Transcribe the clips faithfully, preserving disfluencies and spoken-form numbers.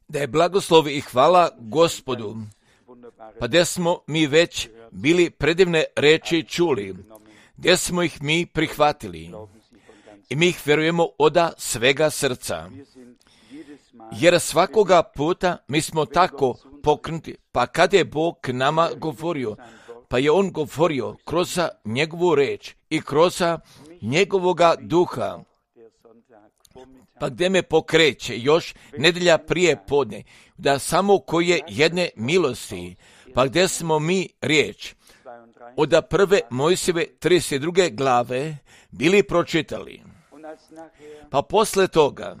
Da je blagoslov i hvala Gospodu, pa gdje smo mi već bili predivne reči čuli, gdje smo ih mi prihvatili i mi ih vjerujemo oda svega srca. Jer svakoga puta mi smo tako pokrenuti, pa kad je Bog k nama govorio, pa je On govorio kroz njegovu reč i kroz njegovoga duha, pa gdje me pokreće još nedjelja prije podne, da samo koje jedne milosti, pa gdje smo mi riječ od prve Mojsijeve trideset druge glave bili pročitali. Pa posle toga,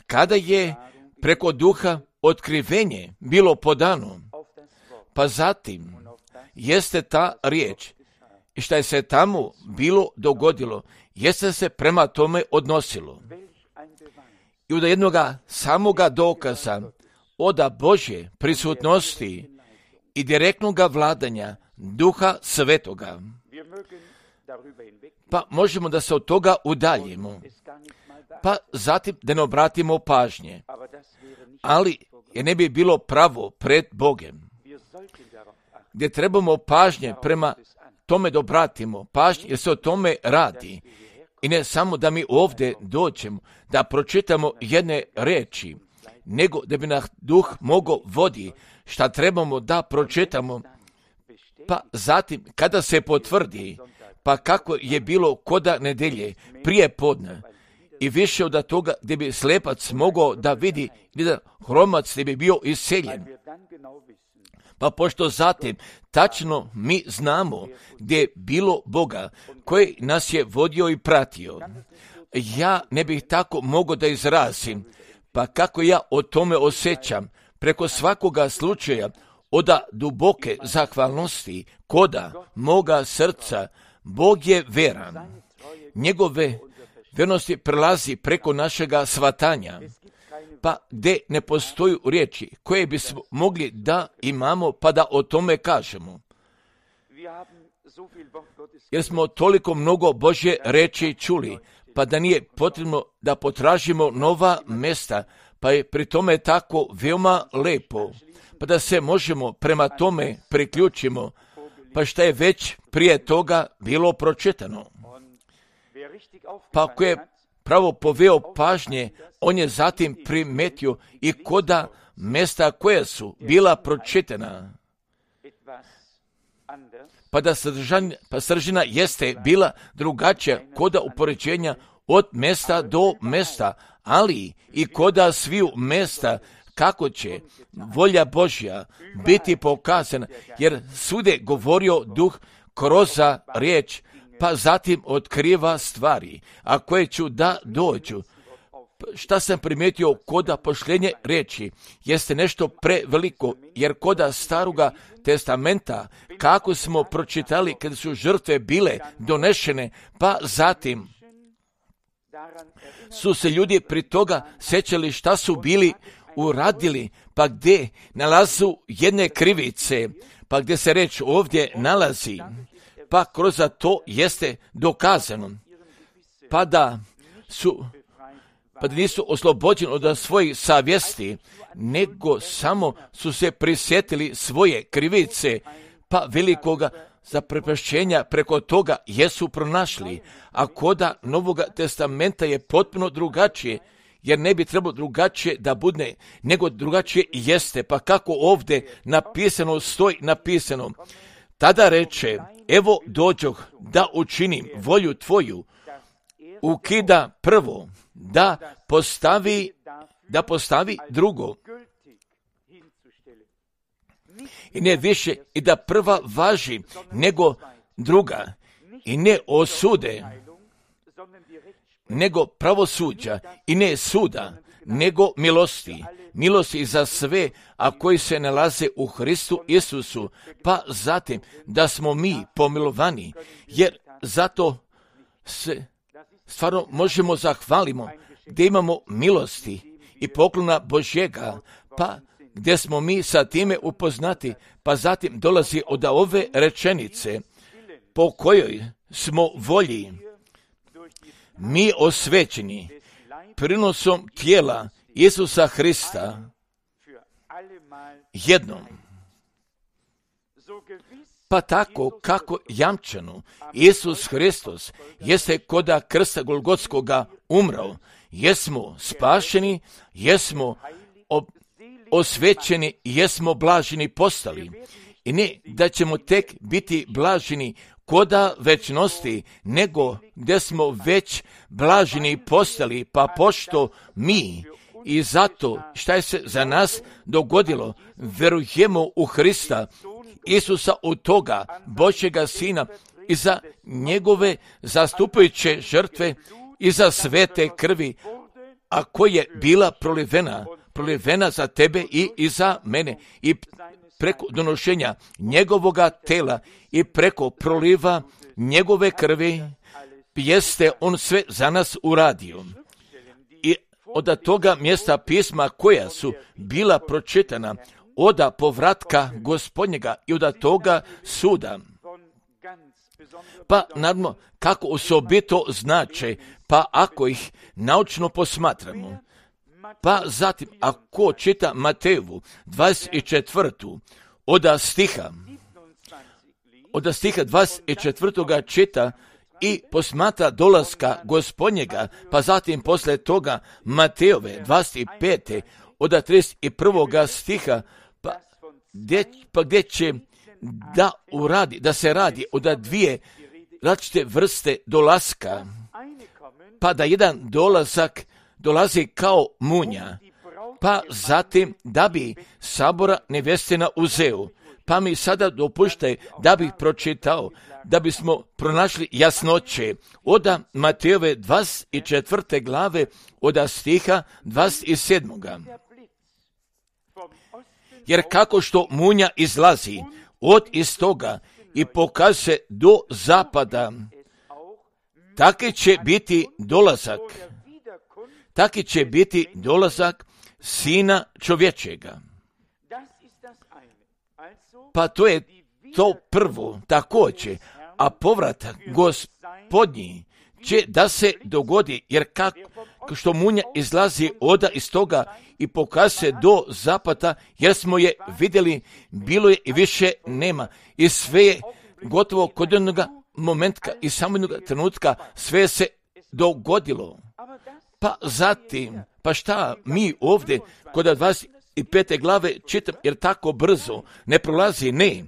kada je preko duha otkrivenje bilo podano, pa zatim jeste ta riječ i šta je se tamo bilo dogodilo, jeste se prema tome odnosilo. I od jednoga samoga dokaza oda Božje prisutnosti i direktnog vladanja Duha Svetoga. Pa možemo da se od toga udaljimo, pa zatim da ne obratimo pažnje. Ali je ne bi bilo pravo pred Bogem, gdje trebamo pažnje prema tome da obratimo pažnje, jer se o tome radi. I ne samo da mi ovdje dođemo, da pročitamo jedne reči, nego da bi nas duh mogao vodi šta trebamo da pročitamo, pa zatim kada se potvrdi, pa kako je bilo koda nedelje prije podne, i više od toga gdje bi slepac mogao da vidi, i da hromac gdje bi bio isceljen. Pa pošto zatim tačno mi znamo gdje je bilo Boga koji nas je vodio i pratio, ja ne bih tako mogao da izrazim, pa kako ja o tome osjećam preko svakoga slučaja oda duboke zahvalnosti koda moga srca. Bog je veran, njegove vernosti prelazi preko našega shvatanja, pa gdje ne postoju riječi koje bismo mogli da imamo pa da o tome kažemo. Jer smo toliko mnogo Božje reči čuli, pa da nije potrebno da potražimo nova mesta, pa je pri tome tako veoma lepo, pa da se možemo prema tome priključimo, pa šta je već prije toga bilo pročitano. Pa ako je pravo poveo pažnje, on je zatim primetio i koda mesta koja su bila pročitana. Pa da sadržanja, pa sadržina jeste bila drugačija koda upoređenja od mesta do mesta, ali i koda sviju mesta kako će volja Božja biti pokazana, jer svude govorio duh kroz riječ, pa zatim otkriva stvari, a koje ću da dođu. Šta sam primijetio koda pošljenje riječi, jeste nešto preveliko, jer koda staroga testamenta, kako smo pročitali kada su žrtve bile donešene, pa zatim su se ljudi pri toga sećali šta su bili uradili, pa gdje nalazu jedne krivice, pa gdje se reč ovdje nalazi, pa kroz to jeste dokazano, pa da su, pa da nisu oslobođeni od svojih savjesti, nego samo su se prisjetili svoje krivice, pa velikoga zaprepašćenja preko toga jesu pronašli, a koda Novoga testamenta je potpuno drugačije, jer ne bi trebalo drugačije da bude, nego drugačije jeste, pa kako ovdje napisano, stoji napisano, tada reče, evo dođoh da učinim volju tvoju, ukida prvo, da postavi, da postavi drugo. I ne više, i da prva važi nego druga, i ne osude, nego pravosuđa, i ne suda, nego milosti. Milosti za sve, a koji se nalaze u Hristu Isusu, pa zatim da smo mi pomilovani, jer zato se stvarno možemo zahvalimo gdje imamo milosti i poklona Božjega, pa gdje smo mi sa time upoznati, pa zatim dolazi od ove rečenice, po kojoj smo volji mi osvećeni prinosom tijela Isusa Hrista jednom. Pa tako kako jamčano Isus Hristos jeste koda krsta Golgotskoga umrao, jesmo spašeni, jesmo ob, osvećeni, jesmo blaženi postali. I ne da ćemo tek biti blaženi koda večnosti, nego gdje smo već blaženi postali, pa pošto mi i zato šta je se za nas dogodilo, verujemo u Hrista, Isusa od toga Božjega Sina i za njegove zastupajuće žrtve i za svete krvi, a koja je bila prolivena, prolivena za tebe i, i za mene, i preko donošenja njegovoga tela i preko proliva njegove krvi, jeste on sve za nas uradio. I od toga mjesta pisma koja su bila pročitana, oda povratka Gospodnjega i od toga suda. Pa naravno, kako osobito znače, pa ako ih naučno posmatramo, pa zatim ako čita Matejevu dvadeset četvrtu oda stiha, oda stiha dvadeset četvrtoga čita i posmatra dolaska Gospodnjega, pa zatim posle toga Matejove dvadeset pete oda trideset prvoga stiha, pa gdje, pa gdje će da uradi, da se radi od dvije različite vrste dolaska, pa da jedan dolazak dolazi kao munja, pa zatim da bi sabora nevjestina uzeo. Pa mi sada dopuštaj da bih pročitao, da bismo pronašli jasnoće oda Matejove dvadeset četvrte glave oda stiha dvadeset sedmoga. Jer kako što munja izlazi od istoga i pokaže do zapada, taki će biti dolazak, taki će biti dolazak Sina čovječega. Pa to je to prvo također, a povratak Gospodnji će da se dogodi, jer kako što munja izlazi oda iz toga i pokaže do zapada, jer smo je vidjeli, bilo je i više nema. I sve je gotovo kod jednoga momentka i samo jednoga trenutka sve se dogodilo. Pa zatim, pa šta mi ovdje kod dvadeset pete glave čitam, jer tako brzo ne prolazi, ne.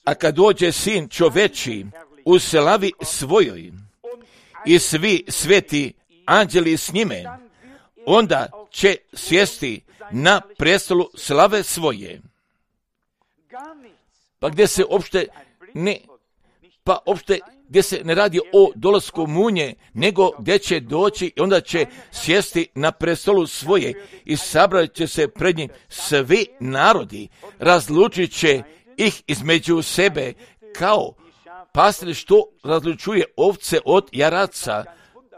A kad dođe Sin čoveči u slavi svojoj i svi sveti anđeli s njime, onda će sjesti na prestolu slave svoje. Pa gdje se uopšte ne, pa uopšte gdje se ne radi o dolasku munje, nego gdje će doći i onda će sjesti na prestolu svoje i sabrat će se pred njim svi narodi, razlučit će ih između sebe kao pastir što razlučuje ovce od jaraca.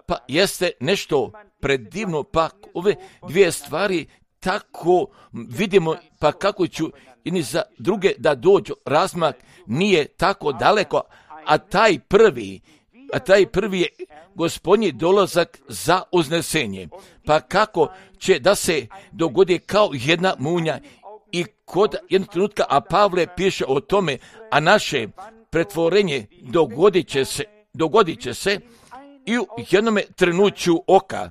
Pa jeste nešto predivno, pa ove dvije stvari tako vidimo, pa kako ću i za druge da dođu, razmak nije tako daleko, a taj prvi, a taj prvi je Gospodnji dolazak za uznesenje. Pa kako će da se dogodi kao jedna munja i kod jednog trenutka, a Pavle piše o tome, a naše pretvorenje dogodit će se, dogodit će se i u jednome trenuću oka.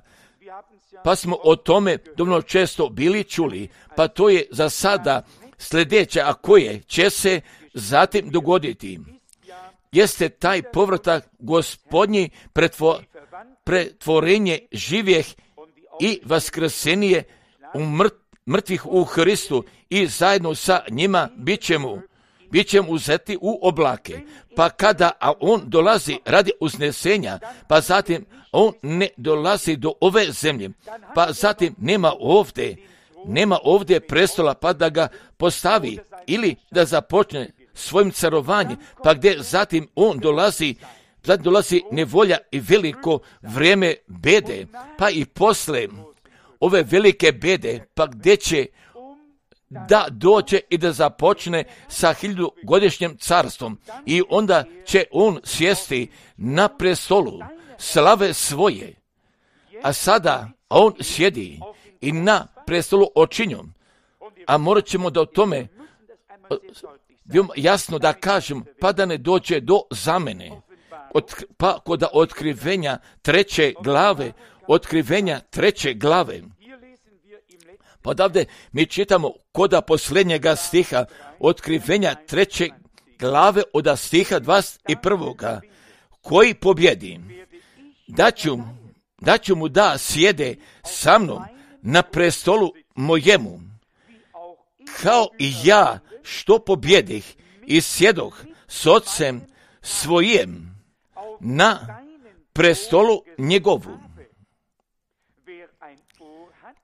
Pa smo o tome dovoljno često bili čuli, pa to je za sada sljedeće, a koje će se zatim dogoditi. Jeste taj povratak Gospodnji, pretvo, pretvorenje živjeh i vaskrsenije u mrt, mrtvih u Hristu i zajedno sa njima bit ćemo, bit ćemo uzeti u oblake. Pa kada a on dolazi radi uznesenja, pa zatim on ne dolazi do ove zemlje, pa zatim nema ovdje, nema ovdje prestola pa da ga postavi ili da započne svojim carovanjem, pa gdje zatim on dolazi, zatim dolazi nevolja i veliko vrijeme bede, pa i posle ove velike bede, pa gdje će da dođe i da započne sa hiljadugodišnjim carstvom i onda će on sjesti na prestolu slave svoje. a sada on sjedi i na prestolu očinjom, a morat ćemo da o tome jasno da kažem, pa da ne dođe do zamene, od, pa kod otkrivenja treće glave, otkrivenja treće glave. Pa odavde mi čitamo koda posljednjega stiha, otkrivenja treće glave od stiha dvadeset prvoga. Koji pobjedi, daću, daću mu da sjede sa mnom na prestolu mojemu, kao i ja što pobjedih i sjedoh s ocem svojim na prestolu njegovu.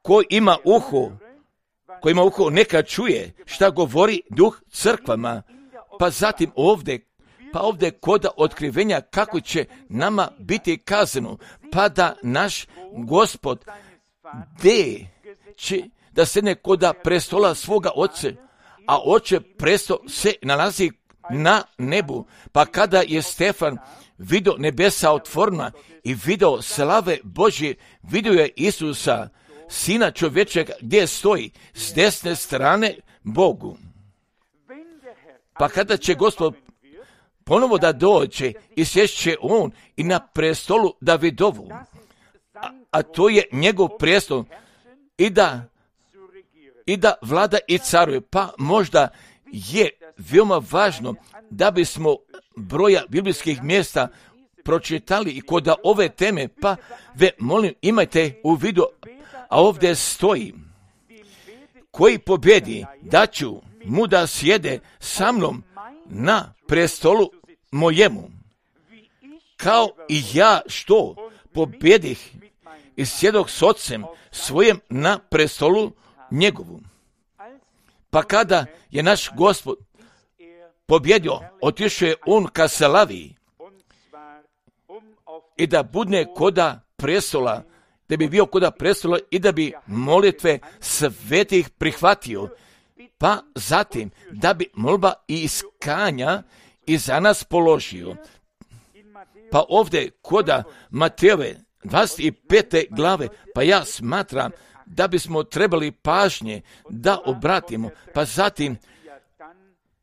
Ko ima uho, ko ima uho neka čuje šta govori duh crkvama, pa zatim ovdje, pa ovdje kod otkrivenja kako će nama biti kazano, pa da naš Gospod de će da sedne kod prestola svoga oce, a oče presto se nalazi na nebu. Pa kada je Stefan vidio nebesa otvorena i vidio slave Božje, vidio je Isusa, Sina čovječega, gdje stoji s desne strane Bogu. Pa kada će Gospod ponovo da dođe i sješće on i na prestolu Davidovu, a, a to je njegov prestol, i da, i da vlada i caruje. Pa možda je veoma važno da bismo broja biblijskih mjesta pročitali i kod ove teme, pa ve molim imajte u vidu, a ovdje stoji, koji pobjedi, daću mu da sjede sa mnom na prestolu mojemu, kao i ja što pobjedih i sjedoh s ocem svojem na prestolu njegovu. Pa kada je naš Gospod pobjedio, otišao je on ka slavi i da budne koda prestola, da bi bio koda prestola i da bi molitve svetih prihvatio, pa zatim da bi molba i iskanja i za nas položio. Pa ovdje koda Matejove dvadeset pete glave, pa ja smatram da bismo trebali pažnje da obratimo, pa zatim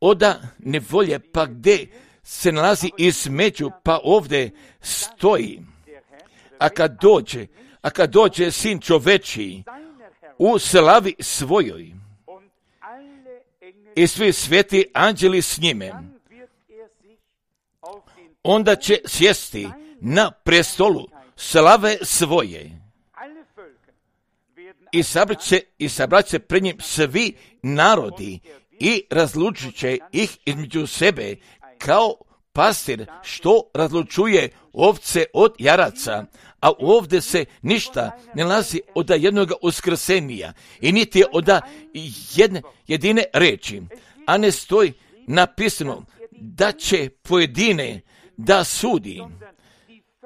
oda nevolje, pa gdje se nalazi između, pa ovdje stoji, a kad dođe, a kad dođe Sin čovečiji u slavi svojoj i svi sveti anđeli s njime, onda će sjesti na prestolu slave svoje i sabrat će, i sabrat će pred njim svi narodi i razlučit će ih između sebe kao pastir što razlučuje ovce od jaraca. A ovdje se ništa ne nalazi od jednog uskrsenija i niti od jedne jedine reči, a ne stoji napisano da će pojedine da sudi,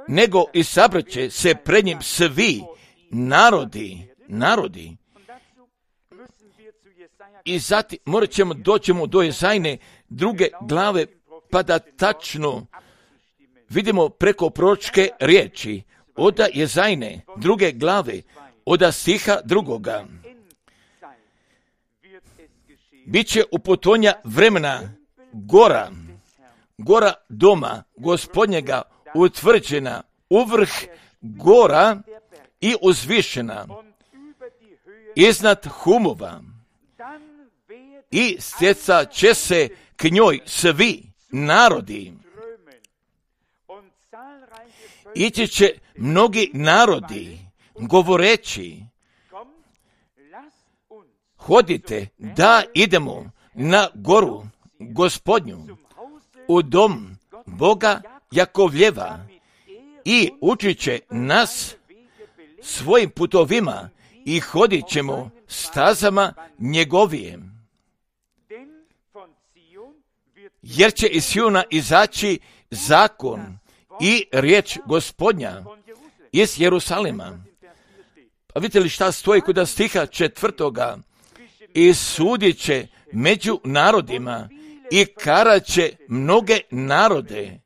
nego i sabrat će se pred njim svi narodi, narodi. I zatim morat ćemo doćemo do Jezajne druge glave, pa da tačno vidimo preko proročke riječi od Jezajne druge glave, od stiha drugoga. Biće u potonja vremena gora, gora doma Gospodnjega utvrđena u vrh gora i uzvišena iznad humova, i stjeca će se k njoj svi narodi. Ići će mnogi narodi govoreći, hodite da idemo na goru Gospodnju, u dom Boga Jakovljeva, i učit će nas svojim putovima i hodit ćemo stazama njegovijem. Jer će iz Siona izaći zakon i riječ Gospodnja iz Jerusalima. Pa vidite li šta stoji kod stiha četvrtoga? I sudit će među narodima i karat će mnoge narode,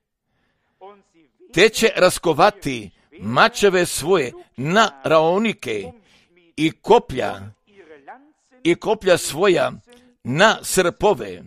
te će raskovati mačeve svoje na raonike i koplja, i koplja svoja na srpove.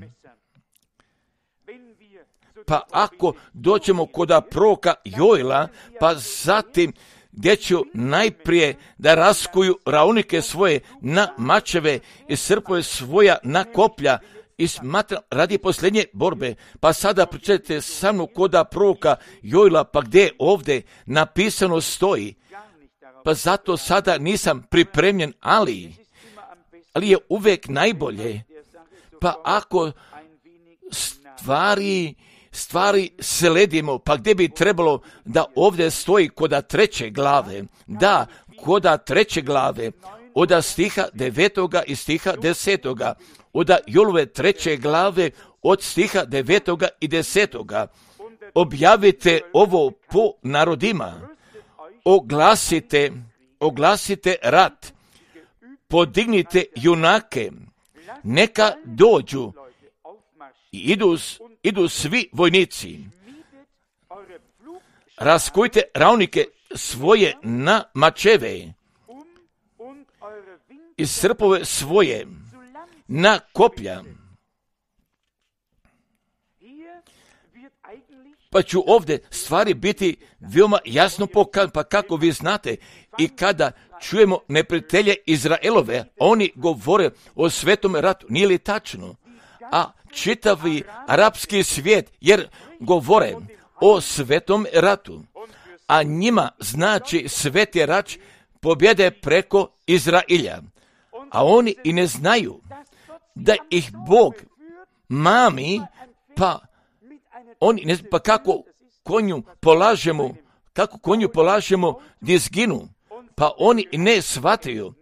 Pa ako doćemo koda proroka Joela, pa zatim gdje ću najprije da raskuju raunike svoje na mačeve i srpove svoja na koplja i smatra radi posljednje borbe. Pa sada pričajte sa mnom koda proroka Joela, pa gdje ovdje napisano stoji. Pa zato sada nisam pripremljen, ali, ali je uvijek najbolje. Pa ako stvari stvari sledimo, pa gdje bi trebalo da ovdje stoji koda treće glave, da, koda treće glave, oda stiha devetoga i stiha desetoga, oda Jolove treće glave od stiha devetoga i desetoga. Objavite ovo po narodima, oglasite, oglasite rat, podignite junake, neka dođu i idu, idu svi vojnici. Raskujte raunike svoje na mačeve i srpove svoje na koplja. Pa ću ovdje stvari biti veoma jasno pokazane, pa kako vi znate, i kada čujemo neprijatelje Izraelove, oni govore o svetom ratu, nije li tačno? A čitavi arapski svijet, jer govore o svetom ratu, a njima znači sveti rat pobjede preko Izrailja, a oni i ne znaju da ih Bog mami, pa oni ne, pa kako konju polažemo, kako konju polažemo da izginu, pa oni ne shvataju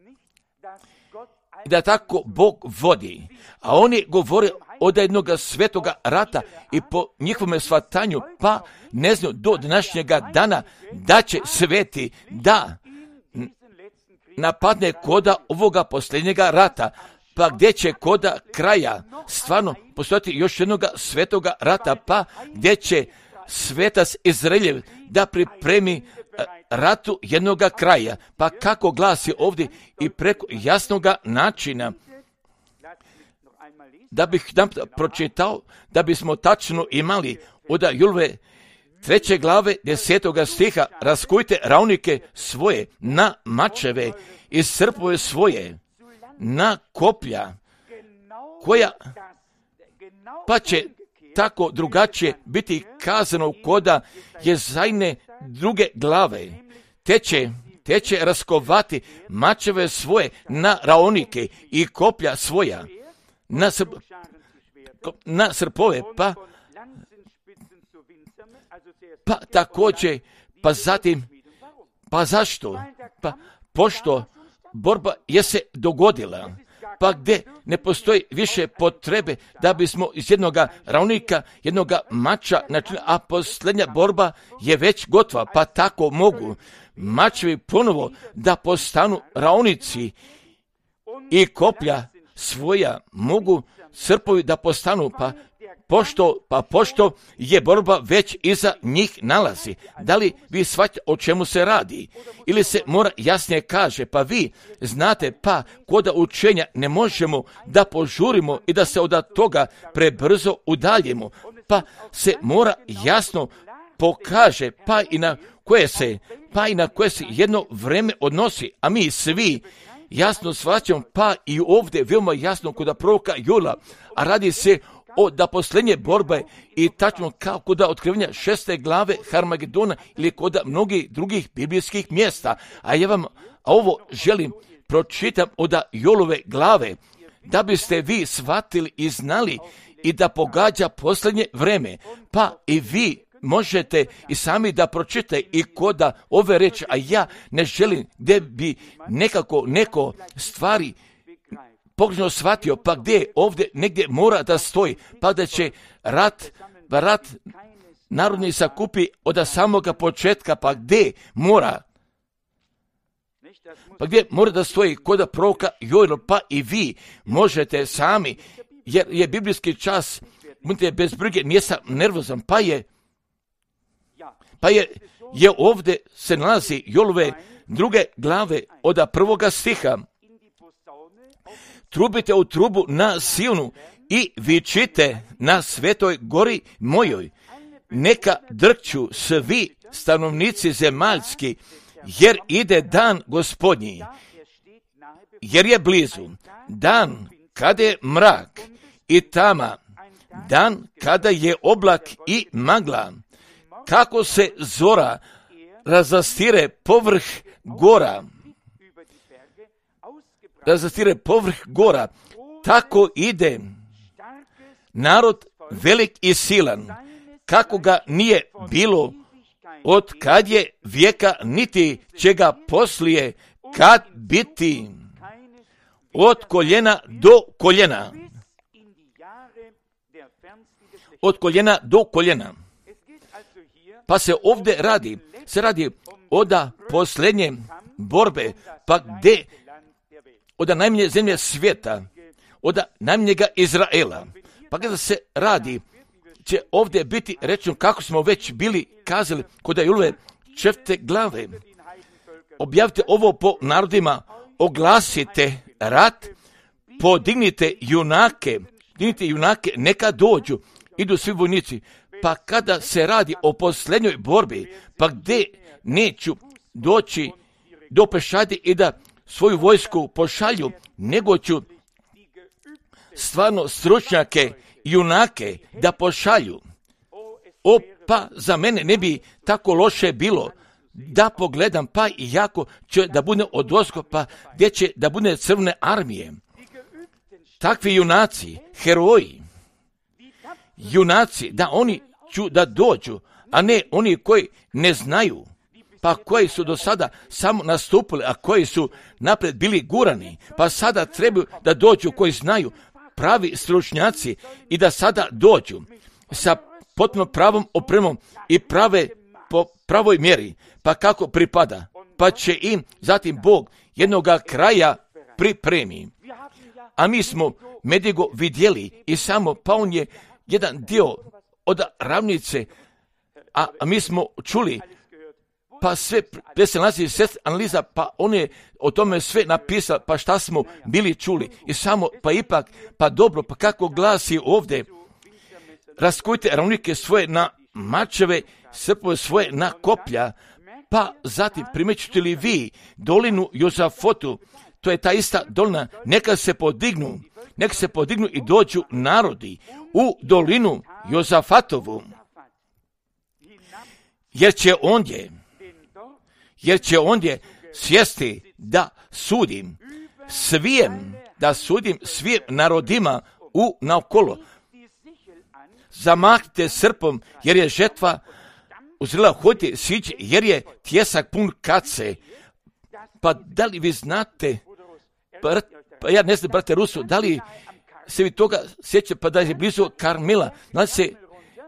da tako Bog vodi, a oni govore od jednog svetoga rata i po njihovom shvatanju, pa ne znaju do današnjega dana da će sveti da napadne koda ovoga posljednjega rata, pa gdje će koda kraja stvarno postojati još jednoga svetoga rata, pa gdje će svetac Izraeljev da pripremi ratu jednoga kraja, pa kako glasi ovdje i preko jasnoga načina. Da bih nam pročitao, da bismo tačno imali od Jolove treće glave desetoga stiha, raskujte raunike svoje na mačeve i srpove svoje na koplja, koja pa će tako drugačije biti kazano koda Jezajne druge glave, te će, te će raskovati mačeve svoje na raonike i koplja svoja na, srp, na srpove, pa, pa također, pa zatim, pa zašto? Pa pošto borba je se dogodila, pa gdje ne postoji više potrebe da bismo iz jednog raonika, jednog mača, a posljednja borba je već gotova, pa tako mogu mačevi ponovo da postanu raonici i koplja svoja mogu srpovi da postanu, pa pošto, pa pošto je borba već iza njih nalazi. Da li vi shvaćate o čemu se radi? Ili se mora jasnije kaže, pa vi znate, pa koda učenja ne možemo da požurimo i da se od toga prebrzo udaljimo, pa se mora jasno pokaže, pa i na koje se, pa i na koje se jedno vreme odnosi, a mi svi jasno shvaćamo, pa i ovdje veoma jasno kod proroka Joela, a radi se o da posljednje borbe i tačno kao kod otkrivenja šeste glave Harmagedona ili kod mnogih drugih biblijskih mjesta. A ja vam a ovo želim pročitam od Joelove glave, da biste vi shvatili i znali i da pogađa posljednje vreme, pa i vi možete i sami da pročitate i koda ove reči, a ja ne želim da bi nekako neko stvari pogrešno shvatio, pa gdje ovdje negdje mora da stoji, pa da će rat, rat narodni sakupi od samoga početka, pa gdje mora, pa gdje mora da stoji koda proroka Joela, pa i vi možete sami, jer je biblijski čas, budite bez brige, nisam nervozan, pa je Pa je, je ovdje se nalazi Jolove druge glave od prvoga stiha. Trubite u trubu na Sionu i vičite na svetoj gori mojoj. Neka drkću svi stanovnici zemaljski, jer ide dan Gospodnji, jer je blizu. Dan kada je mrak i tama, dan kada je oblak i magla, kako se zora razastire povrh gora, razastire povrh gora, tako ide narod velik i silan, kako ga nije bilo od kad je vijeka, niti će ga poslije kad biti, od koljena do koljena, od koljena do koljena. Pa se ovdje radi, se radi oda posljednje borbe, pa gdje, oda najmanje zemlje svijeta, oda najmanjega Izraela, pa kada se radi, će ovdje biti rečeno kako smo već bili kazali kod Jolove četvrte glave. Objavite ovo po narodima, oglasite rat, podignite junake, dignite junake, neka dođu, idu svi vojnici. Pa kada se radi o posljednjoj borbi, pa gdje neću doći do pešadi i da svoju vojsku pošalju, nego ću stvarno stručnjake, junake da pošalju. O, pa za mene ne bi tako loše bilo da pogledam, pa i jako će da bude od oskopa, gdje će da bude crvene armije. Takvi junaci, heroji, junaci, da oni ću da dođu, a ne oni koji ne znaju, pa koji su do sada samo nastupili, a koji su napred bili gurani, pa sada trebaju da dođu koji znaju, pravi stručnjaci, i da sada dođu sa potpuno pravom opremom i prave po pravoj mjeri, pa kako pripada, pa će im zatim Bog jednoga kraja pripremi. A mi smo Medigo vidjeli i samo, pa on je jedan dio od ravnice, a, a mi smo čuli, pa sve, gdje se nalazi sest analiza, pa on je o tome sve napisao, pa šta smo bili čuli. I samo, pa ipak, pa dobro, pa kako glasi ovdje, raskujte ravnike svoje na mačeve, srpove svoje na koplja, pa zatim primećete li vi dolinu Jozafotu, to je ta ista dolina, neka se podignu, neka se podignu i dođu narodi u dolinu Jozafatovu, jer će ondje, jer će ondje sjesti da sudim svijem, da sudim svim narodima u naokolo. Zamahnite srpom, jer je žetva uzrela, hodite sići, jer je tjesak pun kace. Pa da li vi znate, pa, pa ja ne znam, brate Rusu, da li se vi toga sjeća, pa da je blizu Karmila, nalazi se,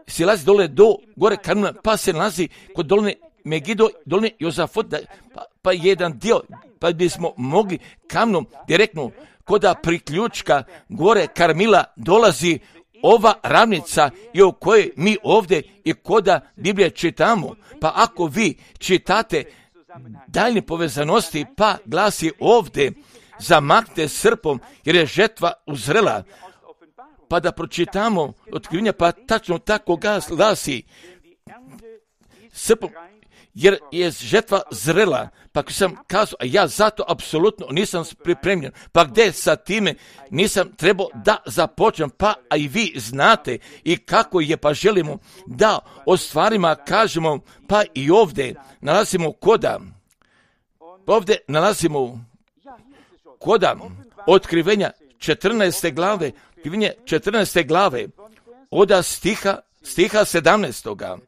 se lazi dole do gore Karmila, pa se nalazi kod doline Megido, doline Jozafot, pa, pa jedan dio, pa bismo mogli kamnom direktno koda priključka gore Karmila dolazi ova ravnica i o kojoj mi ovdje i koda Biblije čitamo. Pa ako vi čitate daljne povezanosti, pa glasi ovdje, zamaknite srpom jer je žetva uzrela. Pa da pročitamo otkrivenja, pa tačno tako glasi srpom, jer je žetva zrela. Pa ako sam kazao, a ja zato apsolutno nisam pripremljen, pa gdje sa time nisam trebao da započnem, pa a i vi znate i kako je, pa želimo da o stvarima kažemo, pa i ovdje nalazimo koda, ovdje nalazimo koda otkrivenja četrnaeste glave, otkrivenja četrnaeste glave, oda stiha, stiha sedamnaestoga.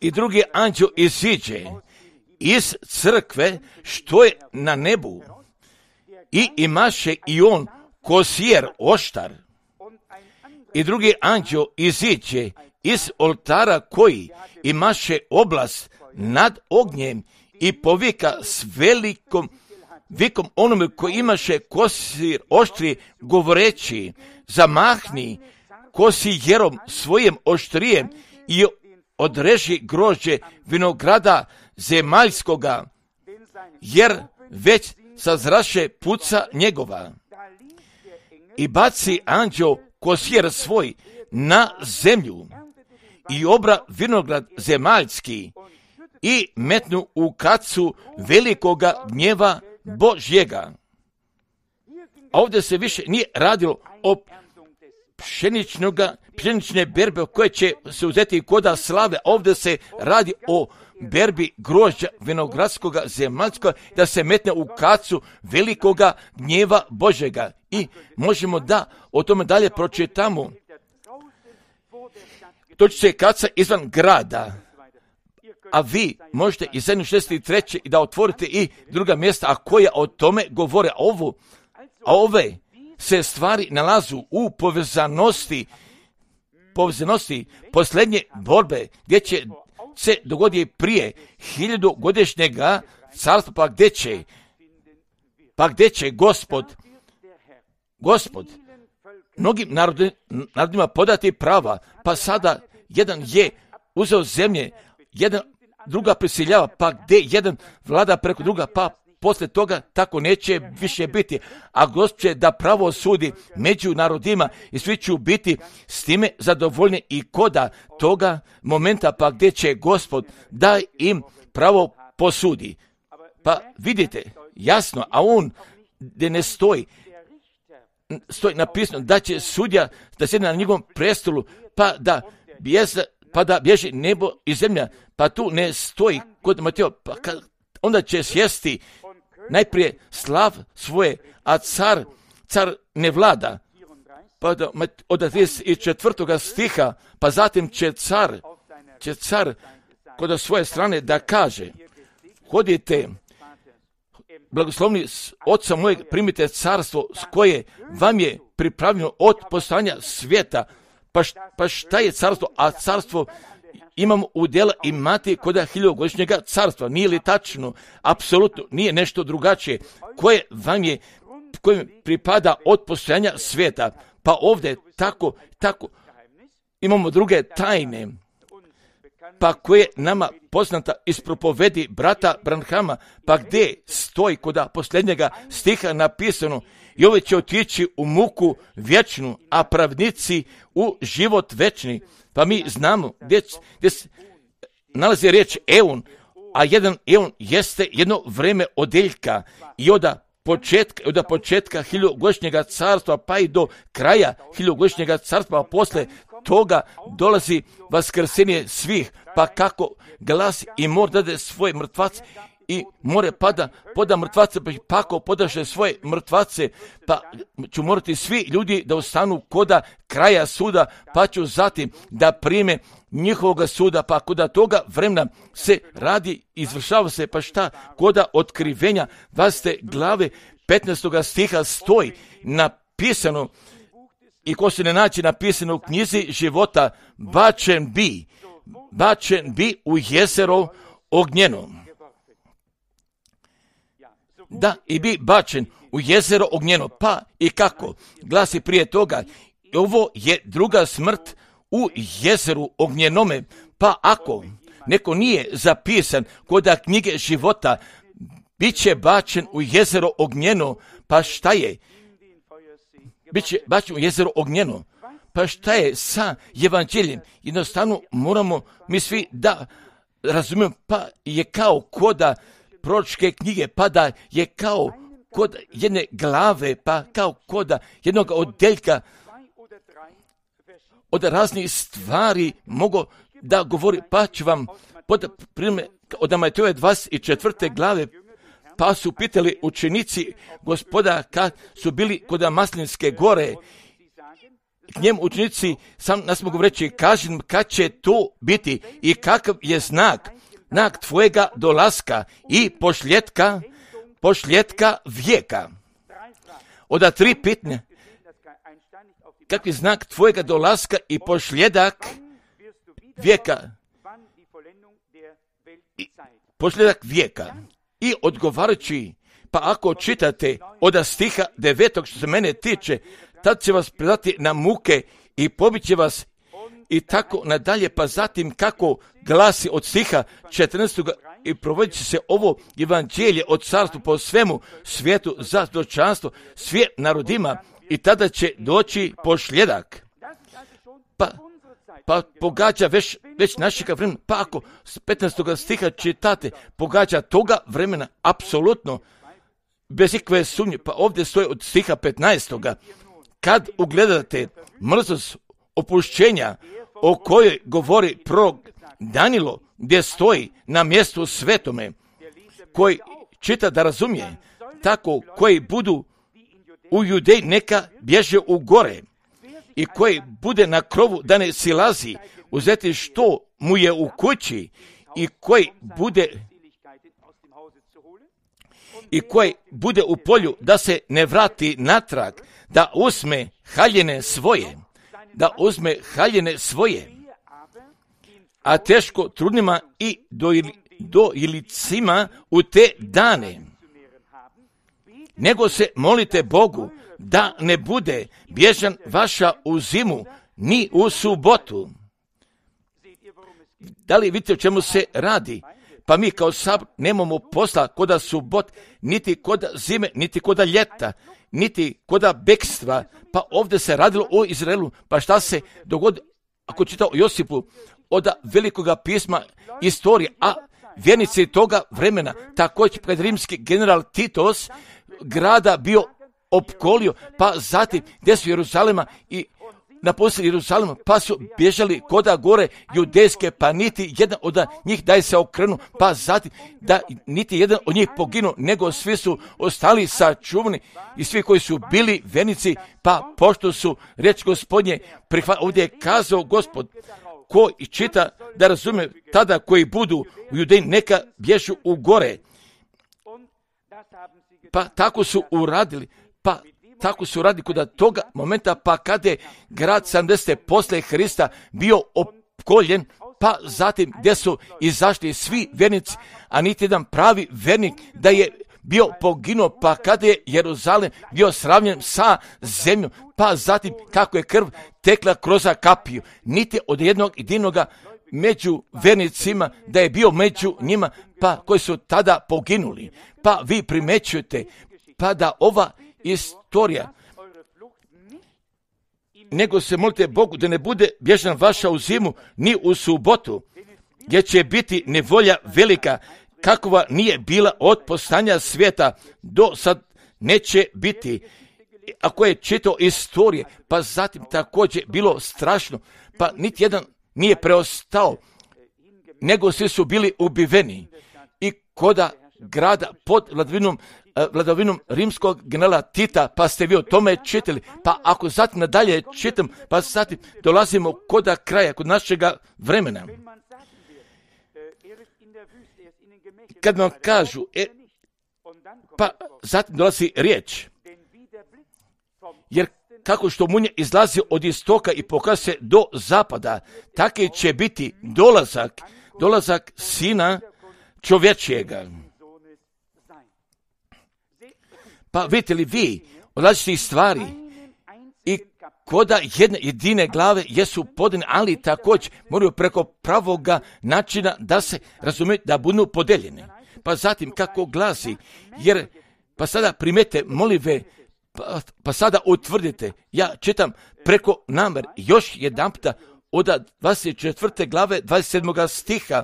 I drugi anđeo iziđe iz crkve što je na nebu i imaše i on kosijer oštar. I drugi anđeo iziđe iz oltara koji imaše oblast nad ognjem i povika s velikom vikom onome koji imaše kosir oštri govoreći, zamahni kosijerom svojim oštrijem i odreži grožđe vinograda zemaljskoga, jer već sazraše puca njegova. I baci anđeo kosjer svoj na zemlju i obra vinograd zemaljski i metnu u kacu velikoga gnjeva Božjega. A ovdje se više nije radilo o pšeničnoga, pšenične berbe koje će se uzeti koda slave. Ovdje se radi o berbi grožđa vinogradskoga zemaljskoga da se metne u kacu velikoga gnjeva Božjega. I možemo da o tome dalje pročitamo. To će se kaca izvan grada. A vi možete iz šezdeset treće i da otvorite i druga mjesta, a koja o tome govore. Ovo, a ove se stvari nalazu u povezanosti, povezanosti posljednje borbe, gdje će se dogoditi prije hiljadugodišnjega carstva, pa gdje će, pa gdje će Gospod, Gospod mnogim narodima podati prava, pa sada jedan je uzeo zemlje, jedan druga prisiljava, pa gdje jedan vlada preko druga, pa poslije toga tako neće više biti. A Gospod će da pravo sudi među narodima i svi će biti s time zadovoljni i koda toga momenta, pa gdje će Gospod da im pravo posudi. Pa vidite, jasno, a on gdje ne stoji, stoji napisano da će sudja da sjedi na njegovom prestolu, pa da bježe, pa da bježi nebo i zemlja, pa tu ne stoji kod Mateo, pa kad, onda će sjesti najprije slav svoje, a car, car ne vlada. Pa da, od trideset četvrtog stiha, pa zatim će car, će car kod svoje strane da kaže, hodite, blagoslovni oca mojeg, primite carstvo s koje vam je pripravljeno od postojanja svijeta. Pa, šta, pa šta je carstvo? A carstvo imamo udjela imati kod hiljadugodišnjega carstva. Nije li tačno? Apsolutno nije nešto drugačije. Koje vam je, koje pripada od postojanja svijeta. Pa ovdje tako, tako imamo druge tajne, pa koje nama poznata iz propovedi brata Branhama, pa gdje stoji kod posljednjega stiha napisano, i ove će otići u muku vječnu, a pravnici u život večni. Pa mi znamo gdje, gdje se nalazi riječ eon, a jedan eon jeste jedno vreme odeljka i od početka, od početka hiljadugodišnjega carstva pa i do kraja hiljadugodišnjega carstva, a posle toga dolazi vaskrsenje svih, pa kako glasi i mor dade svoje mrtvace i more pada, poda mrtvace, pa kako podaše svoje mrtvace, pa ću morati svi ljudi da ostanu koda kraja suda, pa ću zatim da prime njihovoga suda, pa koda toga vremena se radi, izvršava se, pa šta, koda otkrivenja dvadesete glave petnaestog stiha stoji napisano, i ko se ne naći napisano u knjizi života, bačen bi, bačen bi u jezero ognjeno. Da, i bi bačen u jezero ognjeno. Pa i kako? Glasi prije toga, ovo je druga smrt u jezeru ognjenome. Pa ako neko nije zapisan kod knjige života, bit će bačen u jezero ognjeno. Pa šta je? Biće bačen u jezero ognjeno. Pa šta je sa evanđeljem? Jednostavno moramo mi svi da razumijemo, pa je kao koda proročke knjige, pa da je kao kod jedne glave, pa kao koda jednog odeljka od raznih stvari mogu da govori, pa ću vam pod primjer od Matejove dvadeset četvrte glave, pa su pitali učenici Gospoda kad su bili kod Maslinske gore, k njemu učenici sam nas mogu reći, kažem kad će to biti i kakav je znak, znak tvojega dolaska i pošljetka, pošljetka vijeka. Oda tri pitanja, kakvi znak tvojega dolaska i pošljedak vijeka, I, pošljedak vijeka. I odgovarajući, pa ako čitate od stiha devetog što se mene tiče, tad će vas predati na muke i pobit će vas i tako nadalje, pa zatim kako glasi od stiha četrnaestog i provodit će se ovo evanđelje od carstva po svemu svijetu za svjedočanstvo svim narodima i tada će doći pošljedak. Pa, pa pogađa već, već našega vremena, pa ako s petnaestog stiha čitate, pogađa toga vremena, apsolutno, bez ikakve sumnje, pa ovdje stoji od stiha petnaestog kad ugledate mrzost opušćenja o kojoj govori prorok Danilo, gdje stoji na mjestu svetome, koji čita da razumije, tako koji budu u Judeji neka bježe u gore i koji bude na krovu da ne silazi uzeti što mu je u kući i koji bude i koji bude u polju da se ne vrati natrag, da uzme haljine svoje, da uzme haljine svoje, a teško trudnima i dojilicima u te dane. Nego se molite Bogu da ne bude bježan vaša u zimu, ni u subotu. Da li vidite o čemu se radi? Pa mi kao sabor nemamo posla koda subot, niti koda zime, niti koda ljeta, niti koda bekstva. Pa ovdje se radilo o Izraelu. Pa šta se dogodi ako čita o Josipu od velikoga pisma istorije, a vjernici toga vremena, također kad rimski general Titos grada bio opkolio, pa zatim gdje su Jeruzalema i napustili Jeruzalema, pa su bježali koda gore judejske, pa niti jedan od njih da se okrenu, pa zatim da niti jedan od njih poginu, nego svi su ostali sačuvani i svi koji su bili vjernici, pa pošto su riječ Gospodnje prihvatili. Ovdje je kazao Gospod, ko čita da razume, tada koji budu u Judeji neka bježu u gore. Pa tako su uradili, pa tako su radili kod toga momenta, pa kada je grad sedamdeset posle Hrista bio opkoljen, pa zatim gdje su izašli svi vjernici, a niti jedan pravi vjernik da je bio poginuo, pa kada je Jeruzalem bio sravnjen sa zemljom, pa zatim kako je krv tekla kroz kapiju, niti od jednog jedinoga među vjernicima da je bio među njima, pa koji su tada poginuli. Pa vi primećujete, pa da ova istorija, nego se molite Bogu da ne bude bježan vaša u zimu, ni u subotu, gdje će biti nevolja velika, kakva nije bila od postanja svijeta, do sad neće biti. Ako je čitao istorije, pa zatim također bilo strašno, pa niti jedan nije preostao, nego svi su bili ubiveni. I koda grada pod vladavinom, vladavinom rimskog generala Tita, pa ste vi o tome čitali. Pa ako zatim nadalje čitam, pa zatim dolazimo koda kraja, kod našega vremena. Kad vam kažu, e, pa zatim dolazi riječ, jer kako što munje izlazi od istoka i pokaže se do zapada, tako će biti dolazak, dolazak Sina čovječijega. Pa vidite li vi od različitih stvari i koda jedne jedine glave jesu podane, ali također moraju preko pravoga načina da se razumije da budu podeljene. Pa zatim kako glasi, jer pa sada primete molive, pa, pa sada utvrdite, ja čitam preko namer još jedan puta od dvadeset četvrte glave dvadeset sedmog stiha,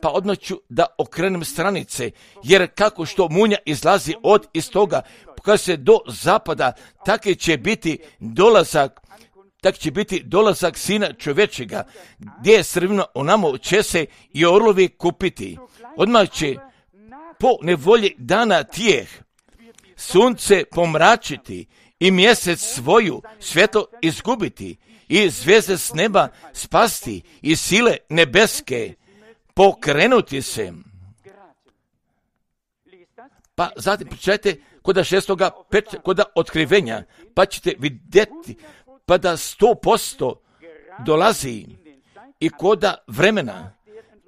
pa odmah ću da okrenem stranice, jer kako što munja izlazi od istoga, kada se do zapada, tako će biti dolazak, tak će biti dolazak Sina čovječega, gdje je srvino onamo će se i orlovi kupiti. Odmah će po nevolji dana tijeh sunce pomračiti i mjesec svoju svjetlo izgubiti i zvijezde s neba spasti i sile nebeske pokrenuti se. Pa zatim pričajte koda šestoga peča, koda otkrivenja, pa ćete vidjeti pa da sto posto dolazi i koda vremena,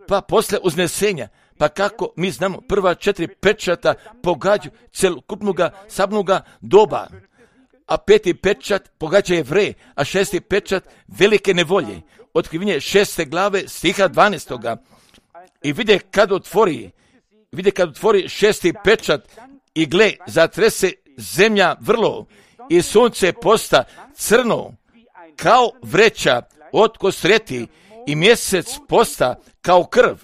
pa posle uznesenja, pa kako mi znamo prva četiri pečata pogađaju celokupnoga sabnoga doba, a peti pečat pogađa Jevreje, a šesti pečat velike nevolje. otkrivenje šeste glave stiha dvanaestoga i vide kad otvori, vide kad otvori šesti pečat i gle, zatrese zemlja vrlo i sunce posta crno kao vreća od kosreti i mjesec posta kao krv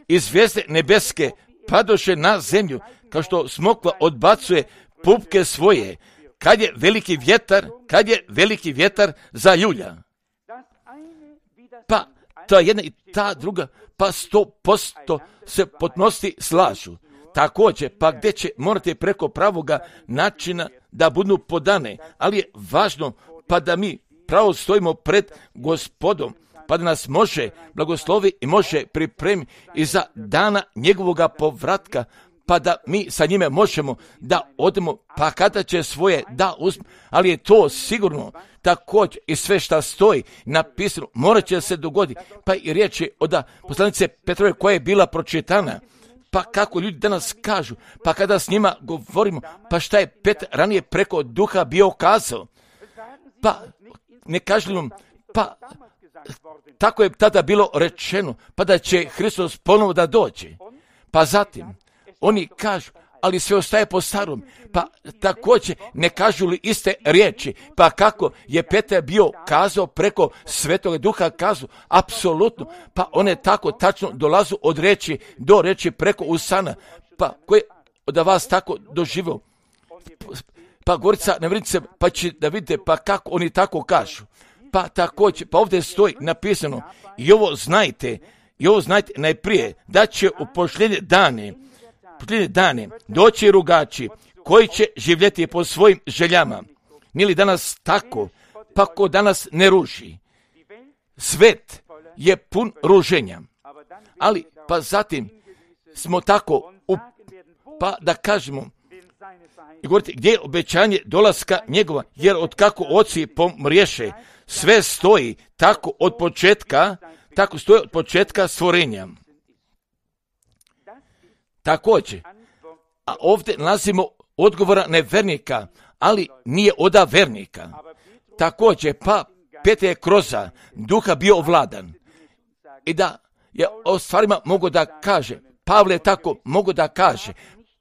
i zvijezde nebeske padoše na zemlju kao što smokva odbacuje pupke svoje kad je veliki vjetar, kad je veliki vjetar zaljulja. Pa ta jedna i ta druga, pa sto posto se potnosti slažu. Također, pa gdje će morati preko pravoga načina da budu podane, ali je važno pa da mi pravo stojimo pred Gospodom, pa da nas može blagoslovi i može pripremiti i za dana njegovoga povratka, pa da mi sa njime možemo da odemo, pa kada će svoje da uzme, ali je to sigurno također i sve šta stoji napisano, morat će se dogoditi, pa i riječ je od poslanice Petrove koja je bila pročitana, pa kako ljudi danas kažu, pa kada s njima govorimo, pa šta je Petar ranije preko duha bio kazao, pa ne kažemo, pa tako je tada bilo rečeno, pa da će Hristos ponovo da dođe, pa zatim oni kažu, ali sve ostaje po starom, pa također ne kažu li iste riječi, pa kako je Petar bio kazao preko Svetoga Duha kazao, apsolutno, pa one tako tačno dolazu od reči do reči preko usana, pa koje od vas tako doživio, pa Gorica, ne vidite se, pa će da vidite, pa kako oni tako kažu, pa također, pa ovdje stoji napisano, i ovo znajte, i ovo znajte najprije, da će u posljednje dane, posljednje dane doći rugači koji će živjeti po svojim željama. Nije li danas tako? Pa ko danas ne ruži? Svet je pun ruženja. Ali pa zatim smo tako, u, pa da kažemo, i govorite, gdje je obećanje dolaska njegova, jer od kako oci pomriješe, sve stoji tako od početka, tako stoji od početka stvorenja. Također, a ovdje nalazimo odgovora nevernika, ali nije oda vernika. Također, pa Petar je kroza duha bio ovladan. I da je o stvarima mogu da kaže, Pavle tako mogu da kaže,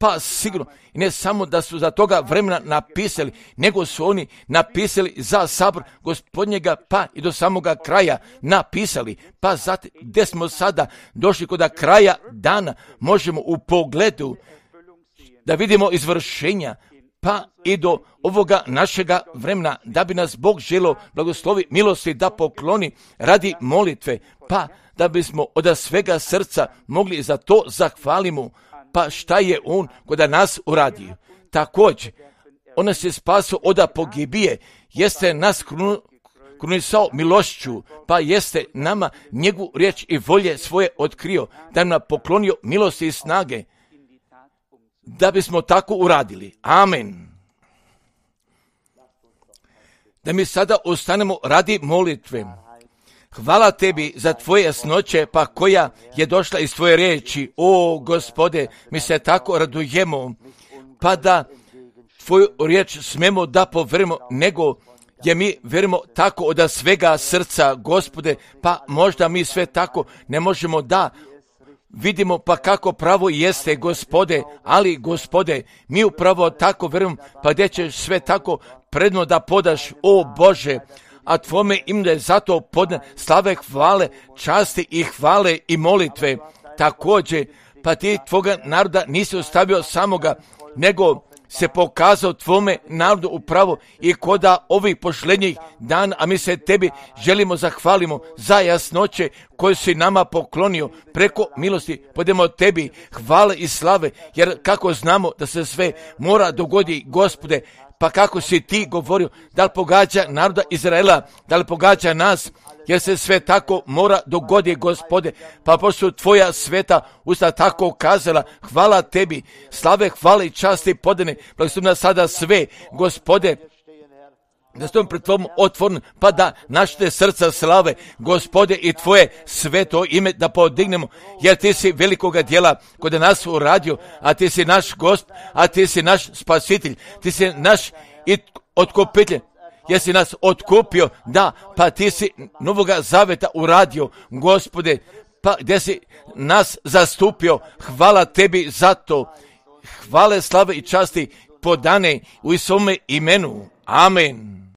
pa sigurno, i ne samo da su za toga vremena napisali, nego su oni napisali za sabor Gospodnjega, pa i do samoga kraja napisali. Pa zatim, gdje smo sada došli kod kraja dana, možemo u pogledu da vidimo izvršenja, pa i do ovoga našega vremena, da bi nas Bog želio blagoslovi milosti da pokloni radi molitve, pa da bismo od svega srca mogli za to zahvalimo, pa šta je on kod nas uradio. Također, on nas je spasio od pogibije, jeste nas krunisao milošću, pa jeste nama njegovu riječ i volje svoje otkrio, da nam poklonio milosti i snage, da bismo tako uradili. Amen. Da mi sada ostanemo radi molitve. Hvala tebi za tvoje jasnoće, pa koja je došla iz tvoje riječi. O Gospode, mi se tako radujemo, pa da tvoju riječ smemo da poverimo, nego je mi verimo tako od svega srca, Gospode, pa možda mi sve tako ne možemo da vidimo, pa kako pravo jeste, Gospode, ali Gospode, mi upravo tako verujemo, pa gdje ćeš sve tako predno da podaš, o Bože, a tvome ime je zato podne slave, hvale, časti i hvale i molitve. Također, pa ti tvoga naroda nisi ostavio samoga, nego se pokazao tvome narodu upravo i koda ovih posljednjih dana, a mi se tebi želimo zahvalimo za jasnoće koje si nama poklonio preko milosti. Podemo tebi hvale i slave, jer kako znamo da se sve mora dogoditi, Gospode, pa kako si ti govorio, da li pogađa naroda Izraela, da li pogađa nas, jer se sve tako mora dogoditi, Gospode, pa pošto tvoja sveta usta tako kazala, hvala tebi, slave, hvale i časti podane, blagoslovi nas sada sve, Gospode, da stojim pred tvojom otvornom, pa da našte srca slave, Gospode, i tvoje sveto ime da podignemo, jer ti si velikoga djela kod nas uradio, a ti si naš Gosp, a ti si naš spasitelj, ti si naš i otkupitelj, jesi nas otkupio, da, pa ti si Novoga Zaveta uradio, Gospode, pa gdje si nas zastupio, hvala tebi za to, hvale, slave i časti podane u svome imenu. Amen.